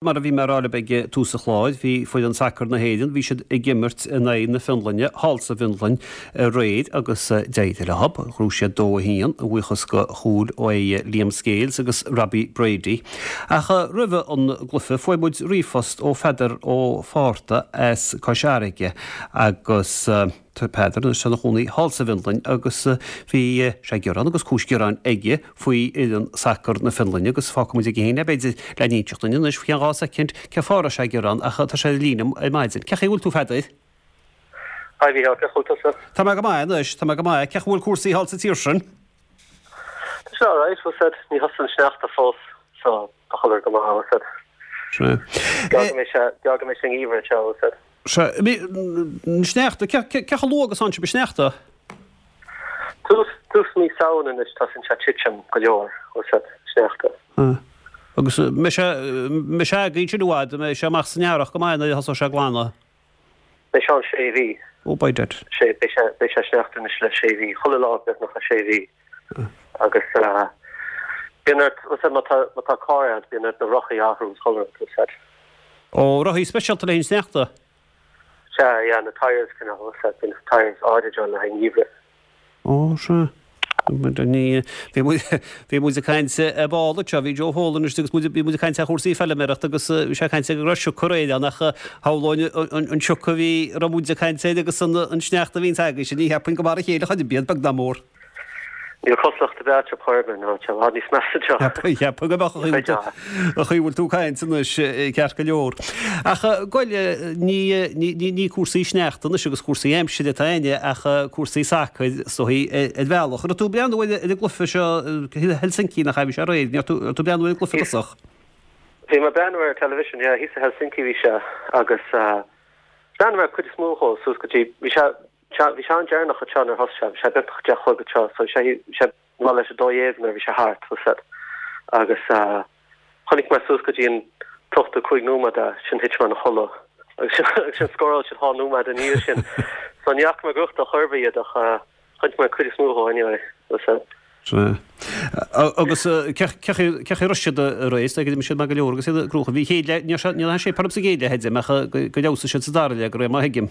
Mar a bhí mé a rá libh ag tús an chláir, bhí foireann sacair na hÉireann, bhí siad ag imirt in aghaidh na Fionlainne thall sa bhFionlainn aréir agus d'éirigh leo. Ghnóthaigh siad 2-1, a bhuíochas do chúil ó Liam Scales agus Robbie Brady. Ach roimh an gcluiche fuair muid ríomhphost ó Pheadar Ó Fátharta as Cois Fharraige agus. Tá Peadar anois ina chónaí thall sa bhFionlainn agus bhí sé ag gearán agus cúis gearáin aige faoi fhoireann sacair na Fionlainne agus fágfaidh muid aige féin é b'fhéidir le n-inseacht dúinn anois faoi cheann 2 soicind cén fáth a raibh sé ag gearán ach tá sé ar an líne ar maidin. Cén chaoi a bhfuil tú a Pheadair? Hi Mhícheál, cén chaoi a bhfuil tusa? Tá mé go maith anois, tá mé go maith. Cén chaoi a bhfuil cúrsaí thall sa tír sin? Tá sé alright, bhfuil 's a'd, ní thosaíonn an sneachta fós so tá chuile rud go maith, bhfuil 's a'd. Sea. Geall go mbeidh sé, geall go mbeidh sé an-gheimhreadh anseo, bhfuil 's a'd. Sea, an sneachta, cé chomh luath agus atánn sibh ag sneachta? Tús, tús mí Samhain anois tosaíonn sé titim go leor, bhfuil 's a'd, sneachta. Sea. Agus mbeidh sé, mbeidh sé agaibh ansin i bhfad, mbeidh sé amach san earrach go maith nuair a thosóidh sé ag glanadh? Beidh sé ann sé mhí. Oh, by dad. Sé, beidh sé, beidh sé sneachta anois le sé mhí, chuile lá beagnach le sé mhí. Agus bíonn ort, bhfuil 's a'd, má tá, má tá carr a'd, bíonn ort na rothaí a athrú is chuile rud, bhfuil 's a'd. Ó, rothaí speisialta le haghaidh an sneachta? Sea, yeah, na tyres cineál, bhfuil 's a'd, bíonn tyres áirid ann le haghaidh an gheimhridh. Ó, sea. Ní, bhí muid, bhí muid ag caint ar ball anseo, bhí Joe Folan istigh agus muid, bhí muid ag caint ar chúrsaí feilméarachta agus bhí sé ag caint go raibh sioc aréir ann ach shamhlóinn an sioc a bhí, a raibh muid ag caint air agus an sneachta a bhíonns agaibhse, ní cheapfainn gur mar a chéile chor ar bith iad, beag ná mór. Níl cosúlacht ar bith eatarthu chor ar bith, ná tá sé i bhfad níos measa anseo. Cheapfainn go mbeadh an chaoi a bhfuil tú ag caint anois ceart go leor. Ach goil, ní cúrsaí sneachta anois agus cúrsaí aimsire atá againne ach cúrsaí sacair is dóichí ar bhealach. An raibh tú ag breathnú ar an gcluiche seo Helsinki nach ea a bhí sé aréir? An raibh tú ag breathnú ar an gcluiche i dtosach? Bhí mé ag breathnú ar an television, yeah, thíos i Helsinki bhí sé agus bhreathnaigh mé ar cuid is mó dhó suas go dtí, bhí sé Sea, bhí sé an-deireanach anseo nuair a thosaigh sé, bhí sé beagnach a 10 a chlog anseo, so bhí sé, bhí sé mall leis 12 nuair a bhí sé thart, bhfuil 's a'd. Agus chonaic mé suas go dtí an t-ochtú cúig nóiméad é, sin thit mé ina chodladh. Agus sin, agus sin scóráil siad dhá nóiméad ina dhiaidh sin. So ní fhaca mé ag gnóthachtáil chor ar bith iad ach chonaic mé an cuid is mó dhó anyway, bhfuil 's a'd. Sea. Agus cé chaoi a raibh siad aréir, is dóigh go d'imir siad maith go leor agus iad ag gnóthú. Bhí chéad leath, ní raibh sé orm sa gcéad leath, a deirim, ach go bhfeabhsaigh siad sa dara leath, de réir mar a thuigim.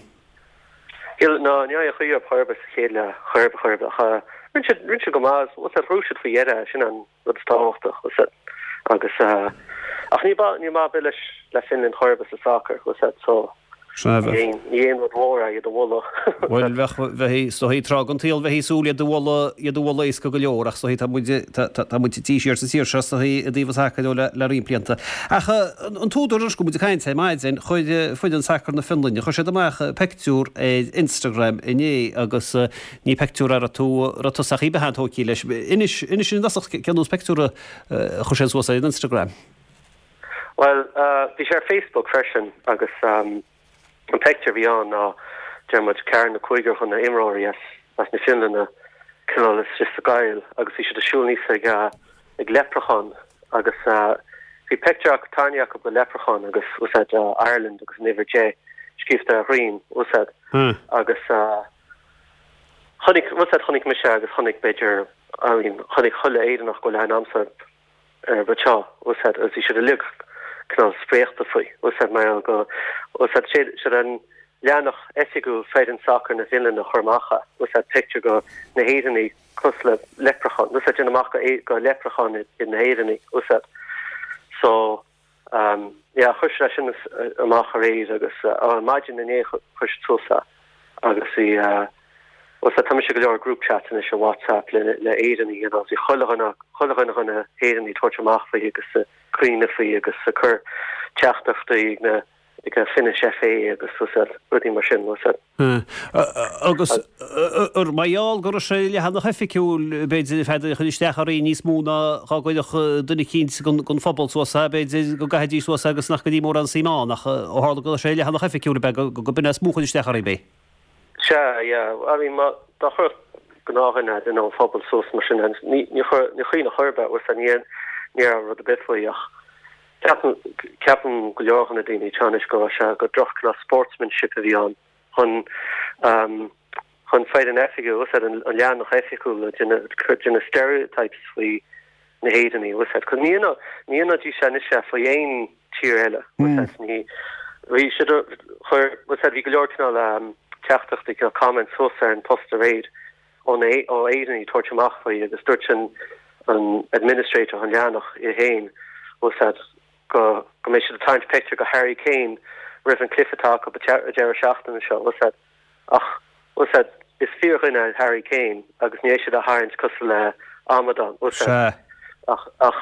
Shíl, ná, ní raibh chaoi ar chor ar bith sa chéad leath, chor ar bith, chor ar bith, ach rinne siad, rinne siad go maith, bhfuil 's a'd, ghnóthaigh siad faoi dheireadh, sin an rud is tábhachtach, bhfuil 's a'd, agus, ach ní ba, ní maith ar bith leis, le Finland chor ar bith sa sacar, bhfuil 's a'd, so, ní haon, ní haon rud mhór é iad a mholadh. Bhuel, bheadh, bheifí, is dóichí, tráth den tsaol bheifí ag súil iad a mholadh, iad a mholadh éasca go leor, ach is dóichí tá muid, tá, tá, tá muid tite siar sa tír seo, is dóichí, i dtaobh an tsacair ó le, le roinnt blianta. Ach an t-údar anois go bhfuil muid ag caint ar maidin, chuir foireann sacair na Fionlainne, chuir siad amach peictiúr ar Instagram inné agus ní peictiúr a raibh tú, raibh tusa ach iad an-tógtha leis. Inis, inis i dtosach cén nós peictiúr a chuir siad suas ar an Instagram. Bhuel, bhí sé ar Facebook freisin agus an peictiúr a bhí ann ná, deir muid, ceathrar nó cúigear de na imreoirí as na Fionlainne cineál istigh sa gcoill agus bhí siad ag siúl aníos ag ag leipreachán agus bhí peictiúr acu tarraingthe acu de leipreachán agus bhfuil 's a'd Ireland agus an uimhir 10 scríofa ar a dhroim bhfuil 's a'd agus chonaic bhfuil 's a'd chonaic mise agus chonaic b'fhéidir I mean chonaic chuile Éireannach go bhfuil aithne a'msa ar anseo bhfuil 's a'd agus bhí siad uilig cineál spréachta faoi bhfuil 's a'd mar gheall go bhfuil 's a'd sé siad an leathanach oifigiúil foireann sacair na Fionlainne a chuir amach é bhfuil 's a'd pictiúr de na hÉireannaigh cosúil le leipreachán, bhfuil 's a'd, déanamh amach gur leipreacháin iad na hÉireannaigh, bhfuil 's a'd. So, um, yeah, chuir siad é sin amach aréir agus, uh, maidin inné chuir siad suas é agus bhí, uh, bhfuil 's a'd, tá mise i go leor group chats anois ar WhatsApp le, le Éireannaigh, you know, bhí chuile dhuine, chuile dhuine de na hÉireannaigh ag tabhairt amach faoi agus ag caoineadh faoi agus ag cur teachtaireachtaí ag na, ag an Finnish FA agus bhfuil 's a'd, rudaí mar sin, bhfuil 's a'd. Agus ar mar gheall go raibh sé ar leathanach oifigiúil, b'fhéidir, Pheadair, chuir isteach oraibh níos mó ná dhá gcuirfeadh duine eicínt den phobal suas é, b'fhéidir go gcaithfidís suas é agus nach gcuirfí mórán suim ann, ach ó tharla go raibh sé ar leathanach oifigiúil, ab ea go b'in é is mó a chuir isteach oraibh é? Sea, yeah. I mean, má, dá chuirfeadh gnáthdhuine, duine ón phobal suas mar sin, ní, ní chuir, ní chuimhneodh chor ar bith, bhfuil 's a'd, ní, ní raibh rud ar bith faoi ach Ceapaim, ceapaim go leor de na daoine anseo anois go raibh sé, gur droch cineál sportsmanship a bhí ann chun ehm chun foireann oifigiúil, bhfuil 's a'd, an leathanach oifigiúil ag déanamh, ag déanamh stereotypes faoi na hÉireannaigh, bhfuil 's a'd. 'Cause ní dhéanfadh, ní dhéanfaidís anois é faoi aon. tír eile. Ní, bhí siad, chuir, bhí go leor cineál teachtaireachtaí, cineál comments suas ar an post aréir ó na, ó Éireannaigh ag tabhairt amach faoi agus dúirt an, an administrator, an leathanach é féin, go, go mbeidh siad ag tarraingt pictiúr go Harry Kane roimh an cluiche atá acu an deireadh seachtaine seo. Ach, bhfuil 's a'd, is fíordhuine é Harry Kane agus ní fhéadfaidh siad é a tharraingt cosúil le amadán, bhfuil 's a'd. Sea. Ach, ach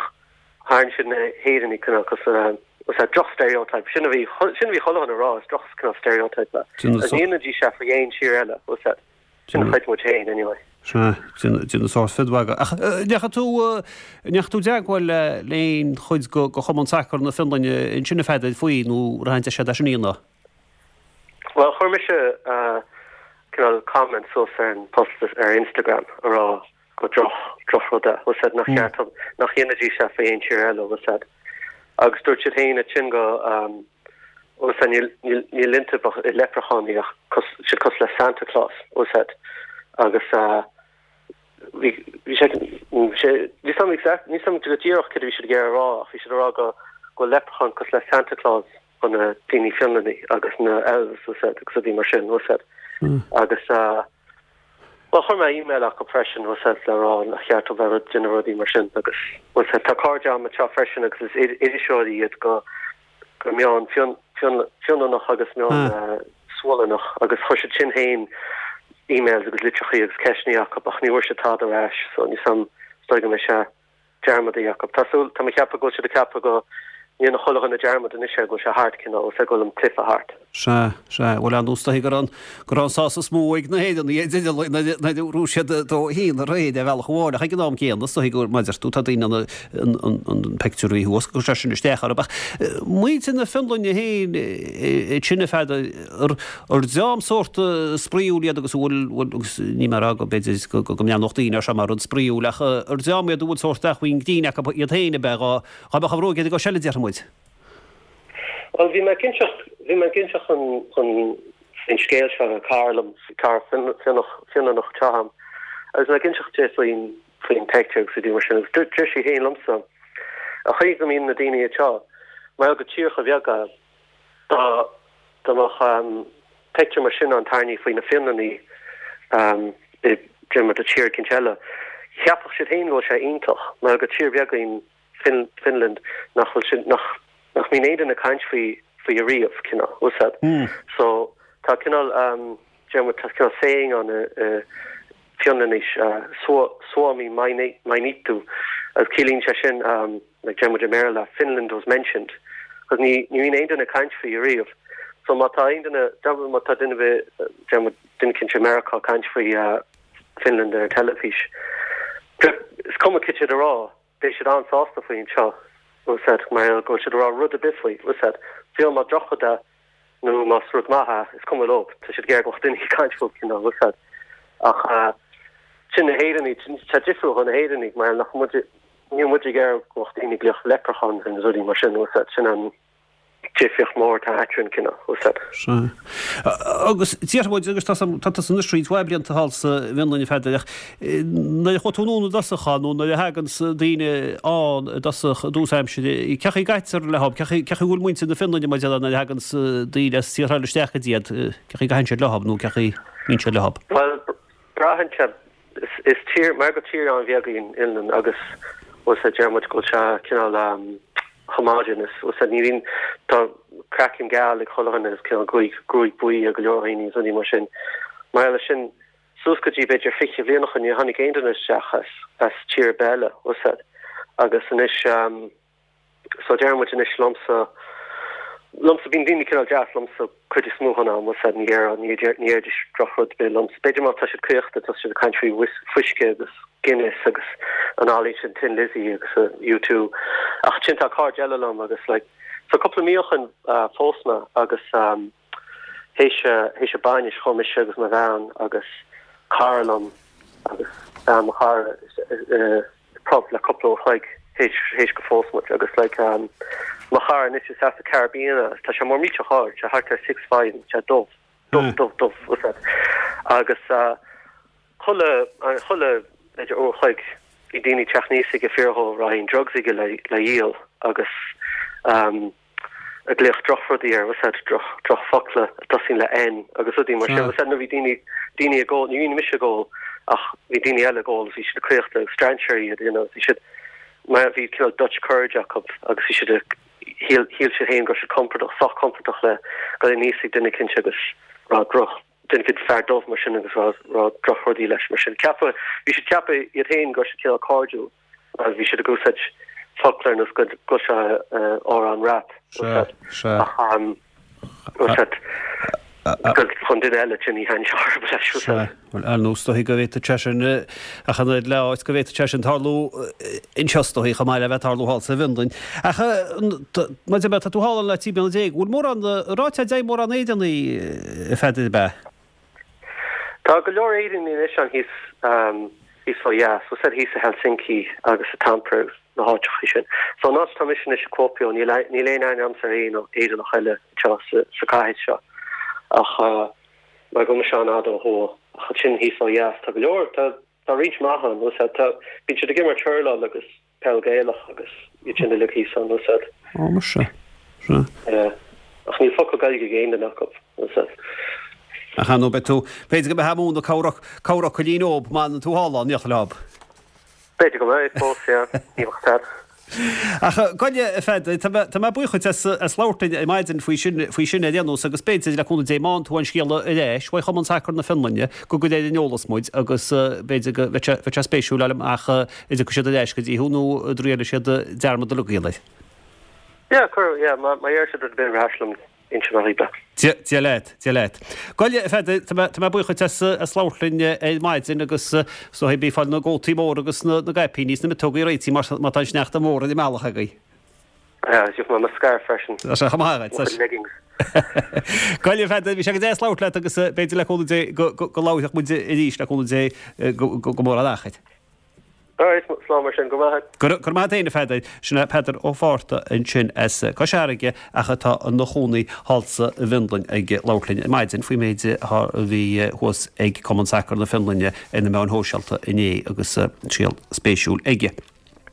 tharraing siad na hÉireannaigh cineál cosúil le, bhfuil 's a'd, droch stereotype. Sin a bhí, sin a bhí chuile dhuine a rá, is droch cineál stereotype é. Agus ní dhéanfaidís é faoi aon tír eile, bhfuil 's a'd. Sin a chreid muid féin, anyway. Sea, déanamh sórt fiddmhagadh. Ach ndeachaigh tú, ndeachaigh tú i dteagmháil le aon chuid de Chumann Sacair na Fionlainne ansin a Pheadair faoi nó raibh aon deis agat é sin a dhéanamh? Bhuel, chuir mise cineál comment suas ar an post ar Instagram a rá go droch, drochrud é, bhfuil 's a'd, nach ceart, nach dhéanfaidís é faoi aon tír eile, bhfuil 's a'd. Agus dúirt siad féin ansin go, bhfuil 's a'd, níl, níl, níl iontu ach i leipreachánaí ach cos, siad cosúil le Santa Claus, bhfuil 's a'd. Agus bhí, bhí sé, bhí sé, níl 's a'm exact, níl 's a'm go díreach céard a bhí siad ag iarraidh a rá ach bhí siad ag rá go, go bhfuil leipreacháin cosúil le Santa Claus. do na daoine Fionlannaí agus na elves bhfuil 's a'd agus rudaí mar sin bhfuil 's a'd. Agus bhuel chuir mé email acu freisin bhfuil 's a'd le rá nach cheart dóibh bheith ag déanamh rudaí mar sin agus bhfuil 's a'd tá cairde agam anseo freisin agus is iriseoirí iad go go meán Fionlannach agus meán Sualannach agus chuir siad sin féin emails agus litreachaí agus ceisteanna acu ach ní bhfuair siad tada ar ais so níl 's a'm is dóigh go mbeidh sé dearmadaithe acu. Tá súil, tá mé ag ceapadh go bhfuil siad ag ceapadh go ndéanfaidh chuile dhuine dearmad anois air, go bhfuil sé thart, cineál, bhfuil 's a'd, go bhfuil an cluiche thart. Sea, sea, bhuel ar ndóigh is dóichí go raibh an, go raibh an sásamh is mó ag na hÉireannaigh ar deireadh nuair a, nuair a bhuaigh siad 2-1 aréir ar bhealach amháin ach ag an am céanna is dóichí gur, mar a deir tú, tá daoine in ann an, an, an peictiúr a bhí thuas, go gcuir sé sin isteach orthu. Ach muintir na Fionlainne féin, sin a Pheadair, Ar dream sórt spraíúil iad agus a bhfuil, bhfuil, agus níl mé ag rá go b'fhéidir go mbreathnódh daoine air seo mar rud spraíúil ach ar dream iad a bhfuil sórt acmhainn grinn acu iad féin ab ea dhá mbeadh an bhróig iad ag seilid déarfaidh muid. Bhuel bhí mé ag inseacht, bhí mé ag inseacht an, an, faoin scéal seo le cara liom, cara Fionnach, Fionlannach atá agam agus mé ag inseacht di faoin, faoin pictiúr agus rudaí mar sin agus deir sí féin liomsa, an chaoi go mbíonn na daoine anseo, mar gheall gur tír chomh beag é, Dá dá mbeadh pictiúr mar sin ann tarraingthe faoi na Fionlannaigh i deir muid i tír eicínt eile, cheapfadh siad féin go bhfuil sé iontach mar gur tír bheag í an Finland nach bhfuil sin nach nach mbíonn aon duine ag caint faoi faoi ariamh cineál, bhfuil 's a'd. So tá cineál deir muid tá cineál saying ann i Fionlainnis Suomi mainittu agus ciallaíonn sé sin like deir muid i mBéarla, Finland was mentioned, cos ní ní bhíonn aon duine ag caint faoi ariamh. So má tá aon duine, deir má tá duine ar bith, deir muid duine eicínt i Meiriceá ag caint faoi Finland ar an teilifís, is cuma cad tá siad a rá, beidh siad an-sásta faoi anseo, bhfuil 's a'd, mar go bhfuil siad a rá rud ar bith faoi, bhfuil 's a'd, fiú má drochrud é nó más rud maith é, is cuma leo, tá siad ag iarraidh go mbeadh daoine ag caint fúthu, cineál, bhfuil 's a'd. Ach sin na hÉireannaigh, tá difriúil dhó na hÉireannaigh mar nach muid, Níl muid ag iarraidh go mbeadh daoine ag glaoch leprechaun ar na rudaí mar sin, bhfuil 's a'd, sin an difríocht mór atá eadrainn, cineál, bhfuil 's a'd. Sea. Agus déarfaidh muid, agus tá tá tusa anois roinnt mhaith blianta thall sa bhFionlainn a Pheadair, ach nuair a chuaigh tú anonn i dtosach ann, nó nuair a thaganns daoine ann i dtosach, i dtús aimsire, cén chaoi a gcaitear leo, cén chaoi, cén chaoi a bhfuil muintir na Fionlainne, mar a déarfá, nuair a thaganns daoine as tíortha eile isteach go dtí iad, cén chaoi a gcaitheann siad leo, nó cén chaoi a mbíonn siad leo? Bhuel, braitheann sé Is tír, mar gur tír an-bheag í an Fhionlainn agus bhfuil 's a'd, deir muid go bhfuil sé cineál homogeneous, bhfuil 's a'd, ní bhíonn, tá craiceann geal ag chuile dhuine agus cineál gruaig, gruaig buí ag go leor daoine agus rudaí mar sin. Mar gheall ar sin, suas go dtí b'fhéidir 20 bhliain ó shin níor tháinig aon duine isteach as, as tír ar bith eile, bhfuil 's a'd. Agus anois, So deir muid anois liomsa, liomsa, bíonn daoine cineál deas liomsa cuid is mó den am, bhfuil 's a'd, ní déarfá, ní déarfaidís drochrud ar bith liomsa. B'fhéidir má tá siad caochta, tá siad ag caint faoi fuisce agus Guinness agus an fhaillí sin Thin Lizzy agus U2. Ach ansin tá cairde eile liom agus like, so cúpla mí ó shin phós mé agus théis, théis an bainis chuaigh mise agus mo bhean agus cara liom agus bean mo chara i, pub le cúpla uair chloig théis go phós muid agus like mo chara anois is as an Caribbean é tá sé mór millteach ard, sé thart ar 6'5 agus sé dubh, dubh, dubh, dubh, bhfuil 's a'd. Agus chuile, chuile b'fhéidir uair chloig bhí daoine ag teacht aníos aige ag fiafraí dhó raibh aon drugs aige le, le dhíol agus. Ag glaoch drochrudaí air, bhfuil a fhios a'd, droch, drochfhocla a dtosaíonn le N agus rudaí mar sin, bhfuil a fhios a'd, nuair bhí daoine, daoine ag ól, ní bhí mise ag ól ach bhí daoine eile ag ól agus bhí siad ag caochta agus strainséirí iad, you know, bhí siad, mar bhí cineál Dutch courage acu agus bhí siad ag, shíl, shíl siad féin go raibh siad compordach, sách compordach le dul aníos ag duine eicínt agus rá droch, duine eicínt fear dubh mar sin agus rá, rá drochrudaí leis mar sin. Ceapadh, bhí siad ceapadh iad féin go raibh siad cineál cairdiúil. Agus bhí siad ag úsáid focla ar nós go bhfuil sé amhrán rap ach úsáid chun duine eile sin ní thaitníonn sé orthu leis úsáid. Bhuel, ar nós is dóichí go bhféadfadh sé sin ach an oiread le áit go bhféadfadh sé sin tarlú anseo is dóichí chomh maith le bheith ag tarlú thall sa bhFionlainn. Ach mar a deir mé, tá tú thall ann le 13 bliana, bhfuil mórán, ráitear deimhin mórán Éireannaigh a Pheadair ab ea? Tá go leor Éireannaigh anois ann thíos thíos ó dheas, bhfuil a fhios a'd thíos i Helsinki agus i Tampere agus na háiteachaí sin. So an áit atá mise anois i Kuopio níl níl aon aithne a'msa ar aon Éireannach eile anseo sa sa cathair seo ach mar go bhfuil mise an-fhada ó thuaidh. Ach ansin thíos ó dheas tá go leor tá tá roinnt maith ann bhfuil a fhios a'd tá bíonn siad ag imirt hurláil agus peil Gaelach agus iad sin uilig thíos ann, bhfuil a fhios a'd. Ó, muise. Sea. Yeah. Ach níl focal Gaeilge ag aon duine acu, bhfuil a fhios a'd. Ach ar ndóigh beidh tú, b'fhéidir go mbeifeá ag múineadh corr, corrfhocailín dóibh má fhanann tú thall ann, níoch leob. B'fhéidir go mbeidh fós, yeah. Ní bheadh a fhios a'd. Ach gabh i leith, a Pheadair, tá mé, tá mé buíoch dhuit as, as labhairt linn ar maidin faoi sin, faoi sin ar aon nós agus b'fhéidir, le cúnamh Dé, má fhaigheann tú aon scéala ar ais uaidh Chumann Sacair na Fionlainne, go gcuirfidh ar an eolas muid agus b'fhéidir go mbeidh sé, bheadh sé spéisiúil fháil amach an dtiocfaidh siad ar ais go dtí thú nó an dtriailfidh siad dearmad a ligean air. Yeah, cuir, yeah, má, má deir siad rud ar bith ar ais liom, inseoidh mé dhaoibh é. Dia, Dia leat, Dia leat. Gabh i leith, a Pheadair, tá mé, tá mé buíoch dhuit as, as labhairt linn ar maidin agus is dóigh bí ag fáil na gcótaí móra agus na, na gcaipíní is na miotógaí réitithe mar, má tá an sneachta mór ar an mbealach agaibh. Yeah, gheobhaidh mé mo scairf freisin. Tá sé chomh maith agat. Mo chuid leggings. Gabh i leith, a Pheadair, bhí sé go deas labhairt leat agus b'fhéidir le cúnamh Dé go, go, go labharfaidh muid arís le cúnamh Dé go, go, go mór an achair. Alright, slán mar sin, go raibh maith agat. Go raibh maith agat féin, a Pheadair. Sin é Peadar Ó Fátharta ansin as Cois Fharraige ach atá ina chónaí thall sa bhFionlainn ag labhairt linn ar maidin faoin méid a bhí thuas ag Cumann Sacair na Fionlainne ar na meáin shóisialta inné agus scéal spéisiúil aige.